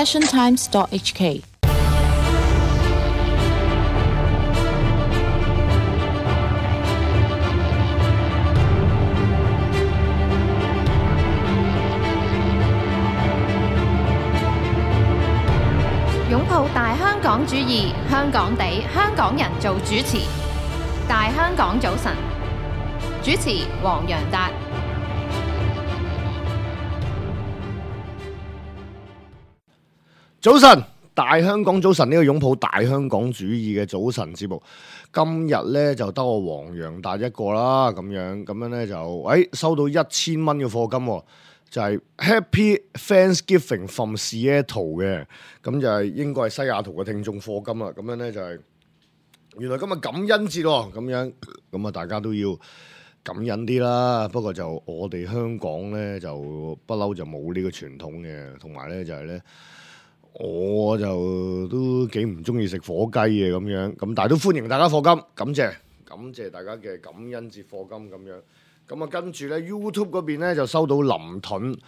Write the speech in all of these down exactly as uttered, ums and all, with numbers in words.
passion times dot h k。擁抱大香港主義，香港地，香港人做主持。大香港早晨，主持黃洋達。早晨，大香港早晨，呢個擁抱大香港主義嘅早晨節目，今日咧就得我黃洋達一個啦，咁樣咁樣咧就，誒收到一千蚊嘅課金喎。就係 Happy Thanksgiving from Seattle 嘅，咁就係應該係西雅圖嘅聽眾課金啦。咁樣咧就係原來今日感恩節喎，咁樣咁啊大家都要感恩啲啦。不過就我哋香港咧就不嬲就冇呢個傳統嘅，同埋咧就係咧我就都幾唔中意食火雞嘅咁樣，咁但係都歡迎大家課金，感謝感謝大家嘅感恩節課金咁樣。咁啊，跟住咧 YouTube 嗰邊咧就收到林盾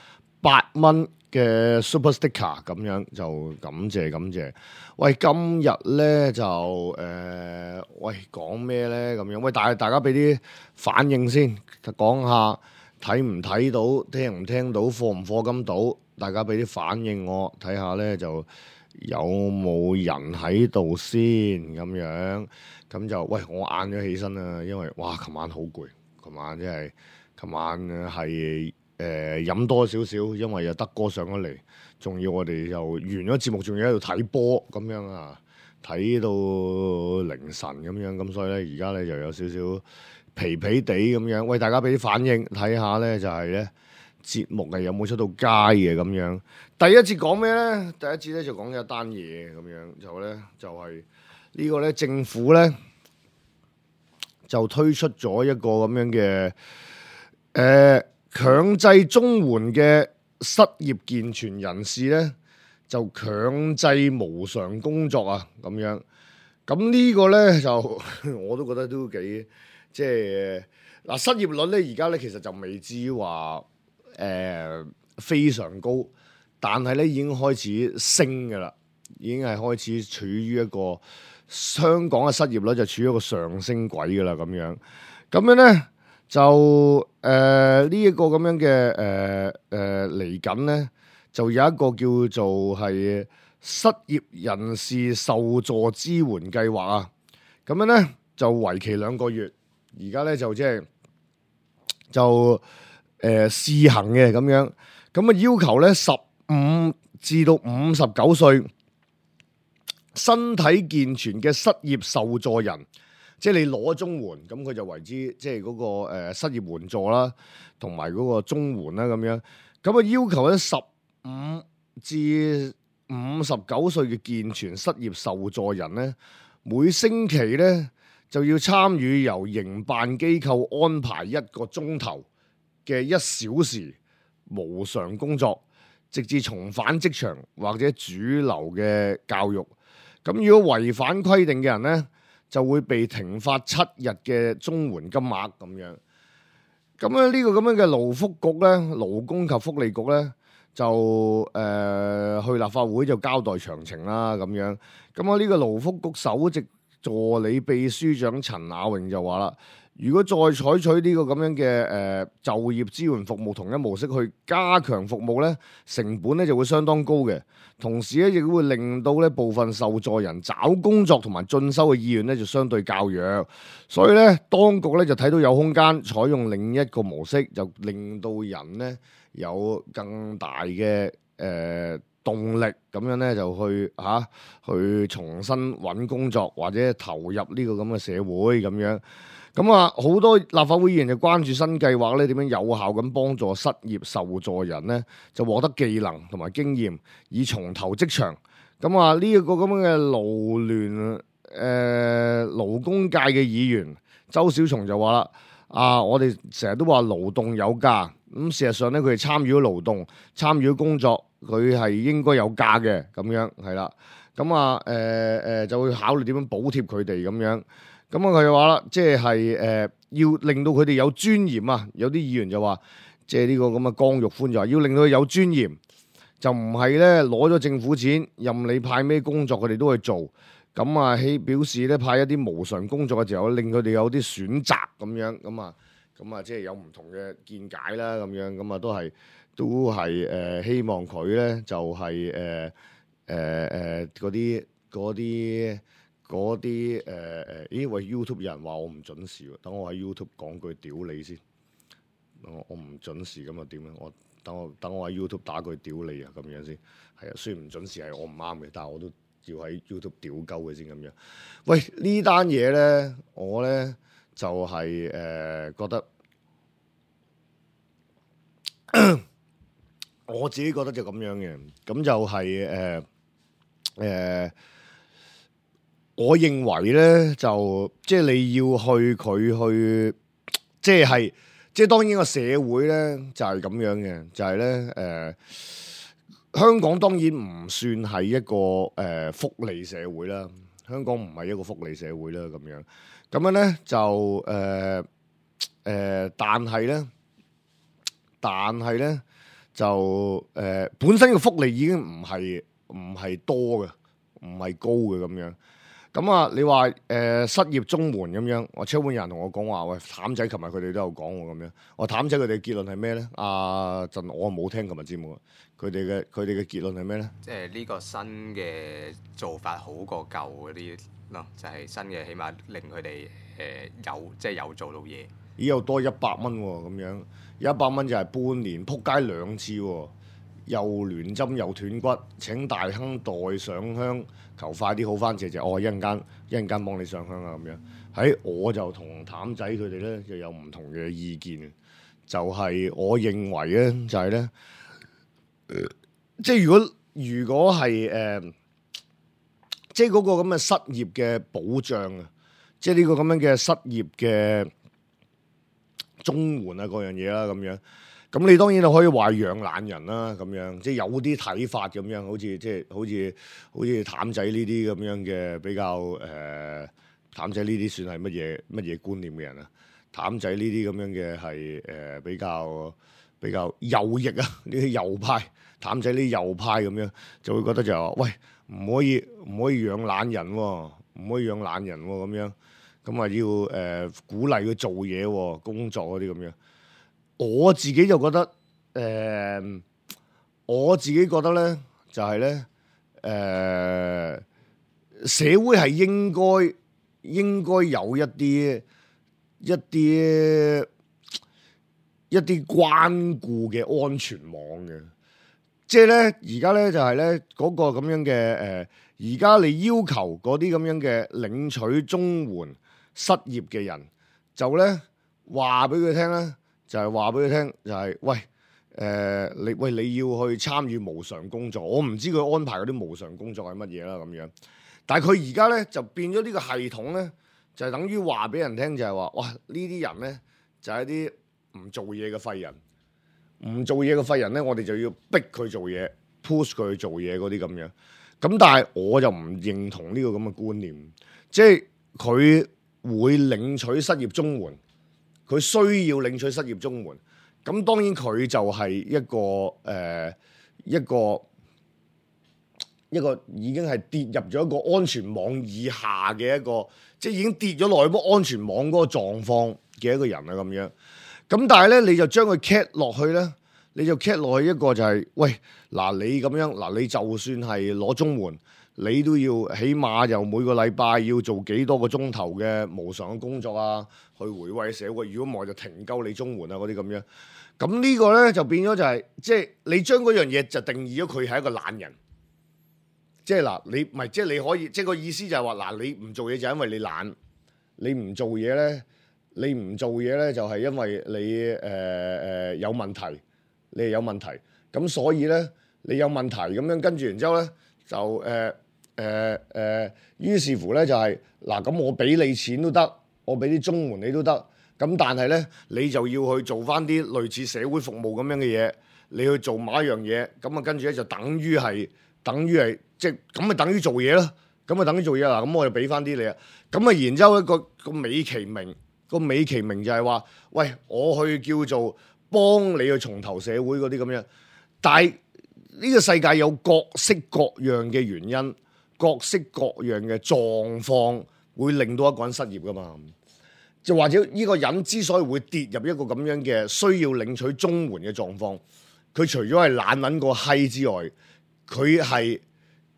八蚊嘅 Super Sticker， 咁樣就感謝感謝。喂，今日咧就誒、呃，喂講咩咧咁樣？喂，大大家俾啲反應先，講下睇唔睇到，聽唔聽到，課唔課金到？大家俾啲反應我睇下咧，就有冇人喺度先咁樣？咁就喂，我晏咗起身啦，因為哇，琴晚好攰。琴晚即係，琴晚係誒飲多少少，因為有德哥上咗嚟，仲要我哋又完咗節目，仲要喺度睇波咁樣啊，睇到凌晨咁樣，咁所以咧而家咧就有少少疲疲地咁樣。喂，大家俾啲反應睇下咧，就係咧節目係有冇出到街嘅咁樣。第一節講咩咧？第一節咧就講一單嘢咁樣，就咧就係呢個咧政府咧。就推出咗一個咁樣嘅誒、呃、強制綜援嘅失業健全人士咧，就強制無償工作啊咁樣。咁呢個咧就我都覺得都幾即係嗱，失業率咧而家咧其實就未至於話誒、呃、非常高，但係咧已經開始升㗎喇，已經係開始處於一個。香港嘅失業率就處於一個上升軌㗎啦，咁樣咁樣咧就誒呢一個咁樣嘅誒誒嚟緊咧，就有一個叫做係失業人士受助支援計劃啊，咁樣咧就為期兩個月，而家咧就即係就誒、呃、試行嘅咁樣，咁啊要求咧十五至到五十九歲。身體健全嘅失業受助人，即係你攞綜援，咁佢就為之即係嗰個誒失業援助啦，同埋嗰個綜援啦咁樣。咁啊要求咧十五至五十九歲嘅健全失業受助人咧，每星期咧就要參與由營辦機構安排一個鐘頭嘅一小時無償工作，直至重返職場或者主流嘅教育。咁如果違反規定嘅人咧，就會被停發七日嘅綜援金額咁樣。咁咧呢個咁樣嘅勞福局咧，勞工及福利局咧，就誒、呃、去立法會就交代詳情啦咁樣。咁啊呢個勞福局首席助理秘書長陳雅穎就話啦，如果再採取呢個咁樣嘅誒、呃、就業支援服務同一模式去加強服務咧，成本咧就會相當高嘅。同時咧，亦都會令到咧部分受助人找工作同埋進修嘅意願咧就相對較弱，所以咧當局咧就睇到有空間採用另一個模式，就令到人咧有更大嘅誒、呃、動力，咁樣咧就去嚇、啊、去重新揾工作或者投入呢個咁嘅社會咁樣。咁啊，好多立法會議員就關注新計劃咧點樣有效咁幫助失業受助人咧，就獲得技能同埋經驗，以重投職場。咁啊，呢一個咁樣嘅勞聯誒勞工界嘅議員周小松就話啦：啊，我哋成日都話勞動有價，咁事實上咧，佢哋參與咗勞動、參與咗工作，佢係應該有價嘅，咁樣係啦。咁啊，誒誒就會考慮點樣補貼佢哋咁樣。咁啊，佢就話啦，即係誒要令到佢哋有尊嚴啊！有啲議員就話，即係呢個咁嘅江玉歡就話，要令到佢有尊嚴，就唔係咧攞咗政府錢，任你派咩工作佢哋都去做。咁啊，希表示咧派一啲無償工作嘅時候，令佢哋有啲選擇咁樣，咁啊，咁啊，即係有唔同嘅見解啦，咁樣，咁啊都係都係誒、呃、希望佢咧就係誒誒誒嗰啲嗰啲嗰啲誒誒，咦喂 YouTube 有人話我唔準時喎，等我喺 YouTube 講句屌你先，我我唔準時咁啊點咧？我等我等我喺 YouTube 打句屌你啊咁樣先，係啊，雖然唔準時係我唔啱嘅，但係我都要喺 YouTube 屌鳩嘅先咁樣。喂，呢單嘢咧，我咧就係、是、誒、呃、覺得，我自己覺得就咁樣嘅，咁就係誒誒，我認為咧就即係你要去佢去，即係即係當然個社會咧就係、是、咁樣嘅，就係咧誒。香港當然唔算係一個誒、呃、福利社會啦，香港唔係一個福利社會啦，咁樣咁樣咧就誒誒、呃呃，但係咧，但係咧就誒、呃、本身嘅福利已經唔係唔係多嘅，唔係高嘅咁樣。咁啊，你話誒、呃、失業綜援咁樣，我超滿人同我講話，喂，譚仔琴日佢哋都有講喎咁樣。我譚仔佢哋嘅結論係咩咧？阿陣我冇聽琴日節目，佢哋嘅佢哋嘅結論係咩咧？即係呢個新嘅做法好過舊嗰啲咯，就係、是、新嘅，起碼令佢哋誒有即係有做到嘢。咦？有多一百蚊喎，咁樣一百蚊就係半年撲街兩次喎。又亂針又斷骨，請大亨代上香，求快啲好翻謝謝。我、哦、一陣間一陣間幫你上香啊咁樣。喺我就同譚仔佢哋咧就有唔同嘅意見，就係、是、我認為咧就係、是、咧、呃，即係如果如果係誒、呃，即係嗰個咁嘅失業嘅保障啊，即係呢個咁樣嘅失業嘅綜援啊嗰樣嘢啦咁樣。咁你當然就可以話養懶人啦，咁樣即係有啲睇法咁樣，好似即係好似好似譚仔呢啲咁樣嘅比較誒，譚仔呢啲算係乜嘢乜嘢觀念嘅人啊？譚仔呢啲咁樣嘅係誒比較比較右翼啊，呢啲右派，譚仔呢啲右派咁樣就會覺得就係話，喂，唔可以唔可以養懶人喎，唔可以養懶人喎咁樣，咁啊要誒、呃、鼓勵佢做嘢喎，工作嗰啲咁樣。我自己就覺得，誒、呃，我自己覺得咧，就係、是、咧，誒、呃，社會係應該應該有一啲一啲一啲關顧嘅安全網嘅，即係咧，而家咧就係咧嗰個咁樣嘅，誒、呃，而家你要求嗰啲咁樣嘅領取綜援失業嘅人，就咧話俾佢聽咧。就係話俾佢聽，就係、是、喂，誒、呃、你喂你要去參與無償工作，我唔知佢安排嗰啲無償工作係乜嘢啦咁樣。但係佢而家咧就變咗呢個系統咧，就係、是、等於話俾人聽，就係話哇呢啲人咧就係一啲唔做嘢嘅廢人，唔做嘢嘅廢人咧，我哋就要逼佢做嘢 ，push 佢去做嘢嗰啲咁樣。咁但係我就唔認同呢個咁嘅觀念，即係佢會領取失業綜援。佢需要領取失業綜援，咁當然佢就係一個誒、呃、一個一個已經係跌入咗一個安全網以下嘅一個，即係已經跌咗落去嗰安全網嗰個狀況嘅一個人啊咁樣。咁但係咧，你就將佢 cat 落去咧，你就 cat 落去一個就係、是，喂嗱你咁樣嗱，你就算係攞綜援，你都要起碼又每個禮拜要做幾多個鐘頭嘅無償嘅工作啊，去回饋社會。如果唔係就停鳩你綜援啊嗰啲咁樣。咁呢個咧就變咗就係、是，即係你將嗰樣嘢就定義咗佢係一個懶人。即係嗱，你唔係即係你可以，即係個意思就係話嗱，你唔做嘢就係因為你懶，你唔做嘢咧，你唔做嘢咧就係因為你誒誒、呃、有問題，你係有問題。咁所以咧你有問題咁樣跟住然之後咧就誒。呃誒誒，於是乎咧就係嗱，咁我俾你錢都得，我俾啲綜援你都得，咁但係咧你就要去做翻啲類似社會服務咁樣嘅嘢，你去做某一樣嘢，咁啊跟住咧就等於係等於係即係咁咪等於做嘢咯，咁啊等於做嘢啦，咁我就俾翻啲你啊，咁啊然之後一個個美其名個美其名就係話，喂，我去叫做幫你去重投社會嗰啲咁樣，但係呢個世界有各式各樣嘅原因，各式各樣嘅狀況會令到一個人失業噶嘛。就或者呢個人之所以會跌入一個咁樣嘅需要領取綜援嘅狀況，佢除咗係懶撚個閪之外，佢係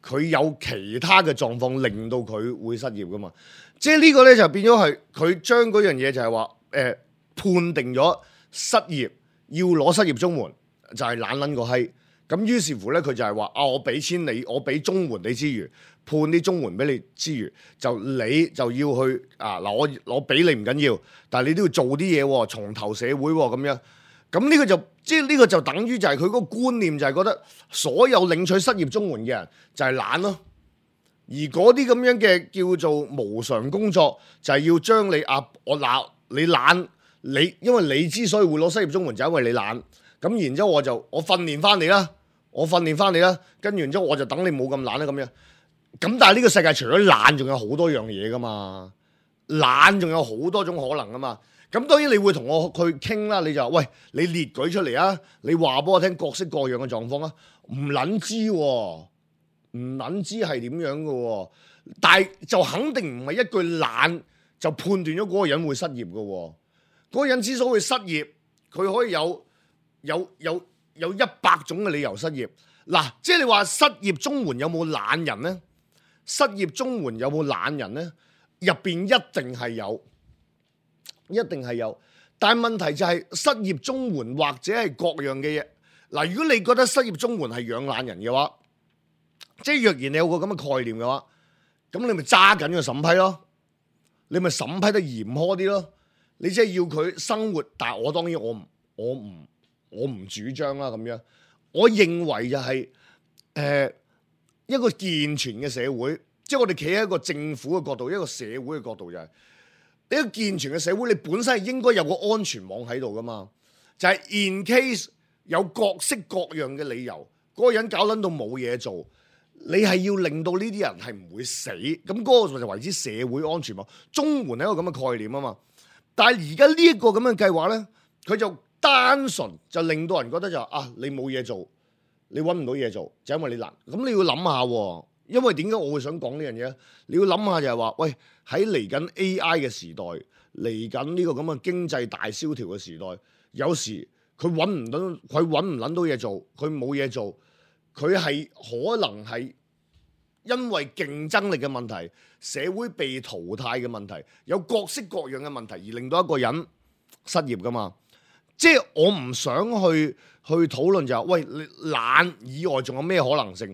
佢有其他嘅狀況令到佢會失業噶嘛。即係呢個咧就變咗係佢將嗰樣嘢就係話誒判定咗失業要攞失業綜援就係懶撚個閪。咁於是乎咧，佢就係話啊，我俾錢你，我俾綜援你之餘，判啲綜援俾你之餘，就你就要去啊嗱，我我俾你唔緊要，但係你都要做啲嘢喎，重投社會喎咁樣。咁呢個就即係呢個就等於就係佢嗰個觀念就係覺得所有領取失業綜援嘅人就係懶咯，而嗰啲咁樣嘅叫做無償工作就係要將你啊我嗱你懶你，因為你之所以會攞失業綜援就係因為你懶。咁然之後我就我訓練翻你啦，我訓練翻你啦，跟住然之後我就等你冇咁懶啦咁樣。咁但係呢個世界除咗懶，仲有好多樣嘢噶嘛，懶仲有好多種可能噶嘛。咁當然你會同我去傾啦，你就話喂，你列舉出嚟啊，你話俾我聽各式各樣嘅狀況啊，唔撚知喎，唔撚知係點樣嘅喎，但係就肯定唔係一句懶就判斷咗嗰個人會失業嘅喎。嗰個人之所以失業，佢可以有。有有有一百種嘅理由失業，嗱，即係你話失業綜援有冇懶人呢？失業綜援有冇懶人呢？入邊一定係有，一定係有。但係問題就係失業綜援或者係各樣嘅嘢。嗱，如果你覺得失業綜援係養懶人嘅話，即係若然你有個咁嘅概念嘅話，咁你咪揸緊個審批咯，你咪審批得嚴苛啲咯。你即係要佢生活，但係我當然我唔我唔。我唔主張啦咁樣，我認為就係、是、誒、呃、一個健全嘅社會，即係我哋企喺一個政府嘅角度，一個社會嘅角度就係、是、一個健全嘅社會，你本身係應該有個安全網喺度噶嘛，就係、是、in case 有各式各樣嘅理由，嗰、那個人搞撚到冇嘢做，你係要令到呢啲人係唔會死，咁嗰個就為之社會安全網。綜援係一個咁嘅概念啊嘛，但係而家呢一個咁嘅計劃咧，佢就單純就令到人覺得就啊，你冇嘢做，你揾唔到嘢做，就因為你懶。咁你要諗下喎，因為點解我會想講呢樣嘢？你要諗下就係話，喂，喺嚟緊 A I 嘅時代，嚟緊呢個咁嘅經濟大蕭條嘅時代，有時佢揾唔到，佢揾唔撚到嘢做，佢冇嘢做，佢係可能係因為競爭力嘅問題、社會被淘汰嘅問題、有各式各樣嘅問題而令到一個人失業噶嘛。即係我唔想去去討論就係、是，喂，你懶以外仲有咩可能性？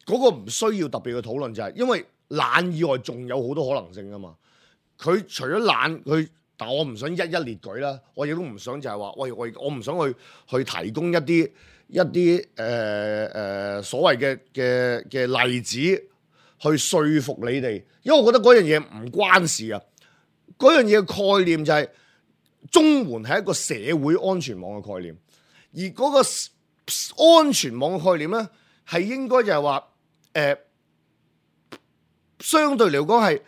嗰、那個唔需要特別嘅討論就係、是，因為懶以外仲有好多可能性噶嘛。佢除咗懶，佢但我唔想一一列舉啦。我亦都唔想就係話，喂，我我唔想去去提供一啲一啲誒誒所謂嘅嘅嘅例子去說服你哋，因為我覺得嗰樣嘢唔關事啊。嗰樣嘢嘅概念就係、是。綜援係一個社會安全網嘅概念，而嗰個安全網嘅概念咧，係應該就係話，誒、呃，相對嚟講係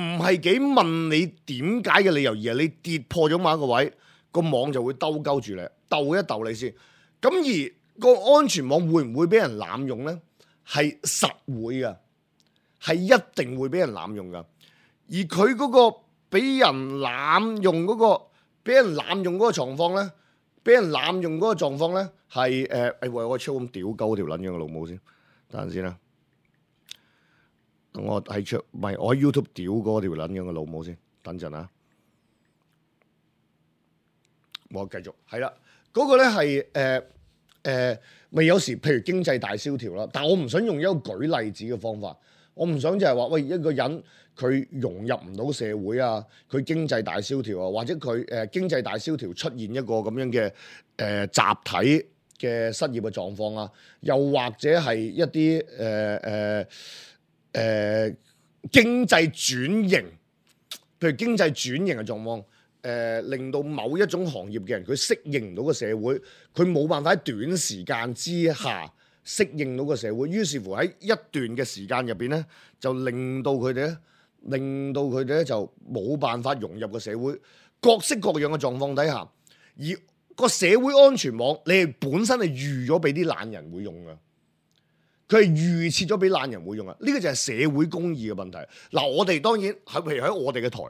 唔係幾問你點解嘅理由，而係你跌破咗某一個位，個網就會兜鳩住你，鬥一鬥你先。咁而個安全網會唔會俾人濫用咧？係實會噶，係一定會俾人濫用噶。而佢嗰個俾人濫用嗰、嗰個。俾人濫用嗰個狀況咧，俾人濫用嗰個狀況咧，係誒誒，喂，我超咁屌鳩條撚樣嘅老母先，等陣先啦。等我喺出，唔係我喺 YouTube 屌嗰條撚樣嘅老母先，等陣啊。我繼續係啦，嗰、嗰個咧係誒誒，咪、呃、有時譬如經濟大蕭條啦，但我唔想用一個舉例子嘅方法，我唔想就係話喂一個人。佢融入唔到社會啊，佢經濟大蕭條啊，或者佢誒、呃、經濟大蕭條出現一個咁樣嘅誒、呃、集體嘅失業嘅狀況啊，又或者係一啲誒誒誒經濟轉型，譬如經濟轉型嘅狀況，誒、呃、令到某一種行業嘅人佢適應唔到個社會，佢冇辦法喺短時間之下適應到個社會，於是乎喺一段嘅時間入邊咧，就令到佢哋咧。令到佢哋咧就冇辦法融入個社會，各式各樣嘅狀況底下，而個社會安全網，你係本身係預咗俾啲懶人會用噶。佢係預設咗俾懶人會用啊！呢、這個就係社會公義嘅問題。嗱，我哋當然喺譬如喺我哋嘅台，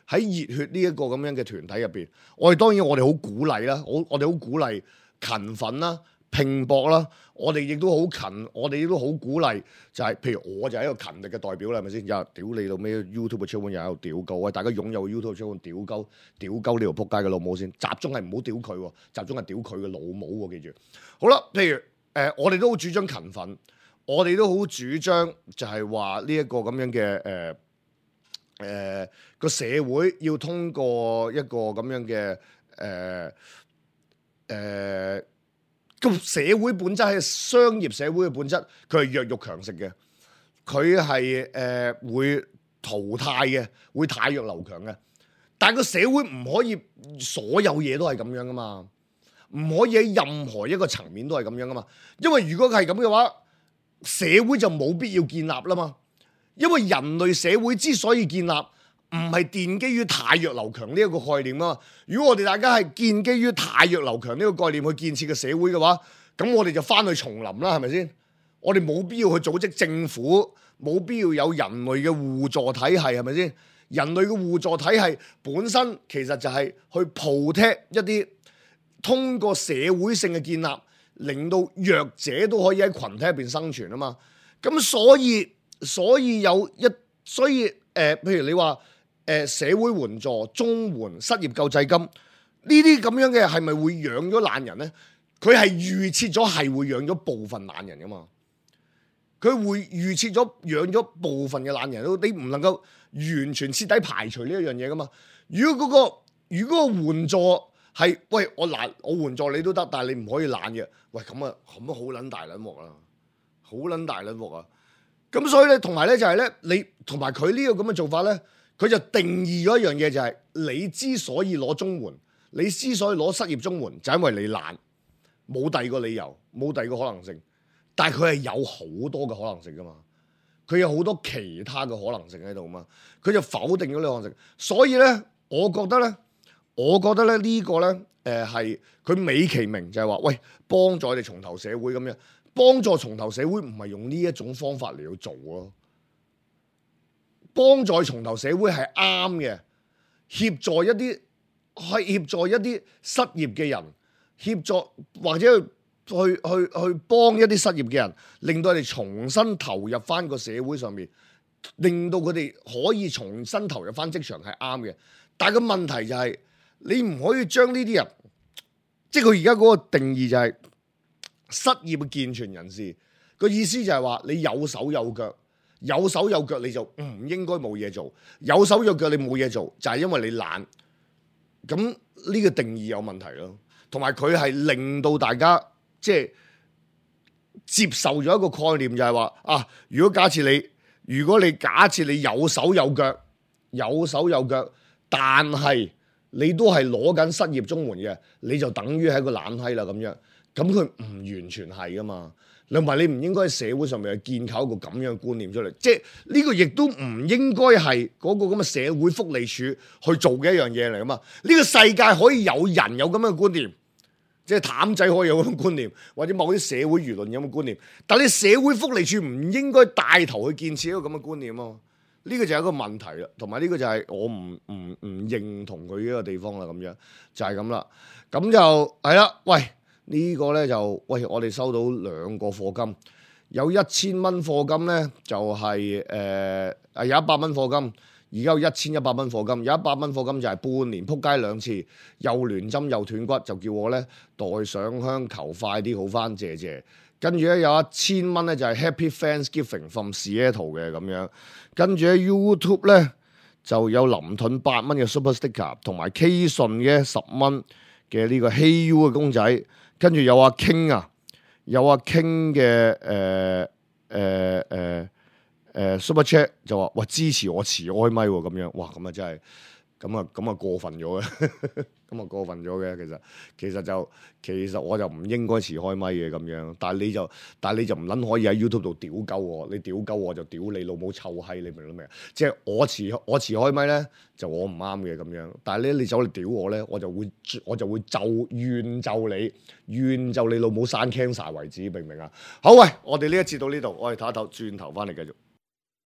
喺熱血呢一個咁樣嘅團體入邊，我哋當然我哋好鼓勵啦，我我哋好鼓勵勤奮啦、拼搏啦，我哋亦都好勤，我哋亦都好鼓勵，就係、是、譬如我就係一個勤力嘅代表啦，係咪先？又屌你老咩 YouTube 嘅 channel 又喺度屌鳩，喂大家擁有 YouTube channel 屌鳩屌鳩呢條撲街嘅老母先，集中係唔好屌佢喎，集中係屌佢嘅老母喎，記住。好啦，譬如誒、呃，我哋都好主張勤奮。我哋都好主張，就係話呢一個咁樣嘅誒誒個社會要通過一個咁樣嘅誒誒個社會本質係商業社會嘅本質，佢係弱肉強食嘅，佢係誒會淘汰嘅，會汰弱留強嘅。但係個社會唔可以所有嘢都係咁樣噶嘛，唔可以喺任何一個層面都係咁樣噶嘛，因為如果係咁嘅話，社會就冇必要建立啦嘛，因為人類社會之所以建立，唔係奠基於汰弱留強呢一個概念啊嘛。如果我哋大家係建基於汰弱留強呢個概念去建設嘅社會嘅話，咁我哋就翻去叢林啦，係咪先？我哋冇必要去組織政府，冇必要有人類嘅互助體系，係咪先？人類嘅互助體系本身其實就係去 protect 一啲通過社會性嘅建立，令到弱者都可以喺群體入邊生存啊嘛，咁所以所以有一所以誒、呃，譬如你話誒、呃、社會援助、綜援、失業救濟金呢啲咁樣嘅係咪會養咗懶人咧？佢係預設咗係會養咗部分懶人噶嘛，佢會預設咗養咗部分嘅懶人，你唔能夠完全徹底排除呢一樣嘢噶嘛。如果嗰、嗰個如果個援助係喂我懶我援助你都得，但係你唔可以懶嘅。喂，咁啊，咁啊好撚大撚鑊啦，好撚大撚鑊啊！咁所以咧，同埋咧就係咧，你同埋佢呢個咁嘅做法咧，佢就定義咗一樣嘢，就係你之所以攞綜援，你之所以攞失業綜援，就係因為你懶，冇第二個理由，冇第二個可能性。但係佢係有好多嘅可能性噶嘛，佢有好多其他嘅可能性喺度嘛，佢就否定咗呢個可能性。所以咧，我覺得咧，我覺得咧呢個咧。誒係佢美其名就係話，喂，幫助我哋重投社會咁樣，幫助重投社會唔係用呢一種方法嚟去做咯。幫助重投社會係啱嘅，協助一啲係協助一啲失業嘅人，協助或者去去去去幫一啲失業嘅人，令到佢哋重新投入翻個社會上面，令到佢哋可以重新投入翻職場係啱嘅。但係個問題就係、是。你唔可以將呢啲人，即係佢而家嗰個定義就係失業嘅健全人士，個意思就係話你有手有腳，有手有腳你就唔應該冇嘢做，有手有腳你冇嘢做就係因為你懶，咁呢個定義有問題咯，同埋佢係令到大家即係接受咗一個概念，就係話啊，如果假設你，如果你假設你有手有腳，有手有腳，但係你都係攞緊失業綜援嘅，你就等於係一個懶閪啦咁樣，咁佢唔完全係噶嘛，同埋你唔應該喺社會上面去建構一個咁樣嘅觀念出嚟，即係呢個亦都唔應該係嗰個咁嘅社會福利署去做嘅一樣嘢嚟噶嘛。呢個世界可以有人有咁樣嘅觀念，即係譚仔可以有咁嘅觀念，或者某啲社會輿論有咁嘅觀念，但係你社會福利署唔應該帶頭去建設一個咁嘅觀念咯。呢個就係一個問題啦，同埋呢個就係我唔唔唔認同佢呢個地方啦，咁樣就係咁啦。咁就係啦，喂，呢個咧就喂，我哋收到兩個課金，有一千蚊課金咧就係誒誒有一百蚊課金，而家有一千一百蚊課金，有一百蚊課金就係半年撲街兩次，又亂針又斷骨，就叫我咧代上香求快啲好返，謝謝。跟住咧有一千蚊咧就係 Happy Thanksgiving from Seattle 嘅咁樣，跟住喺 YouTube 咧就有林盾八蚊嘅 Super Sticker， 同埋 K 順嘅十蚊嘅呢個 Hey You 嘅公仔，跟住有阿 King 啊，有阿 King 嘅誒誒誒誒 Super Chat 就話哇支持我持開咪喎咁樣，哇咁啊真係咁啊咁啊過分咗嘅，咁啊過分咗嘅。其實其實就其實我就唔應該遲開咪嘅咁樣，但係你就但係你就唔撚可以喺 YouTube 度屌鳩我，你屌鳩我就屌你老母臭閪，你明唔明啊？即係我遲我遲開咪咧，就我唔啱嘅咁樣。但係咧你走嚟屌我咧，我就會我就會就怨就你怨就你老母生 cancer 為止，明唔明啊？好喂，我哋呢一節到呢度，我哋唞一唞，轉頭翻嚟繼續。